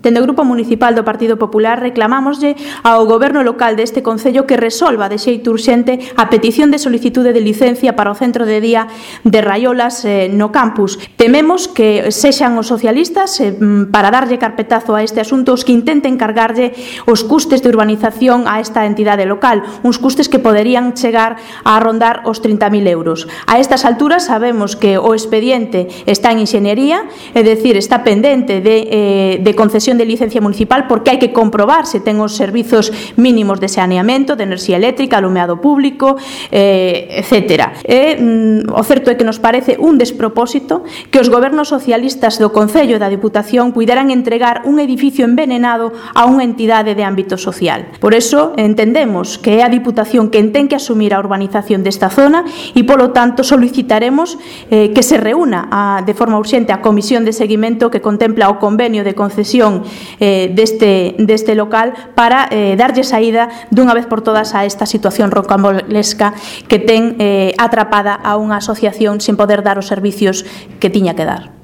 Dende o Grupo Municipal do Partido Popular reclamámoslle ao Goberno local deste concello que resolva de xeito urxente a petición de solicitude de licencia para o centro de día de Raiolas no campus. Tememos que sexan os socialistas para darlle carpetazo a este asunto os que intenten cargarlle os custes de urbanización a esta entidade local, uns custes que poderían chegar a rondar os 30.000 euros. A estas alturas sabemos que o expediente está en inxeniería, é dicir, está pendente de concesión de licencia municipal porque hai que comprobar se ten os servizos mínimos de saneamento, de enerxía eléctrica, alumeado público, etc. O certo é que nos parece un despropósito que os gobernos socialistas do Concello e da Diputación puideran entregar un edificio envenenado a unha entidade de ámbito social. Por eso entendemos que é a Diputación quen ten que asumir a urbanización desta zona e, polo tanto, solicitaremos que se reúna de forma urxente a comisión de seguimento que contempla o convenio de concesión deste local para darlle saída dunha vez por todas a esta situación rocambolesca que ten atrapada a unha asociación sen poder dar os servicios que tiña que dar.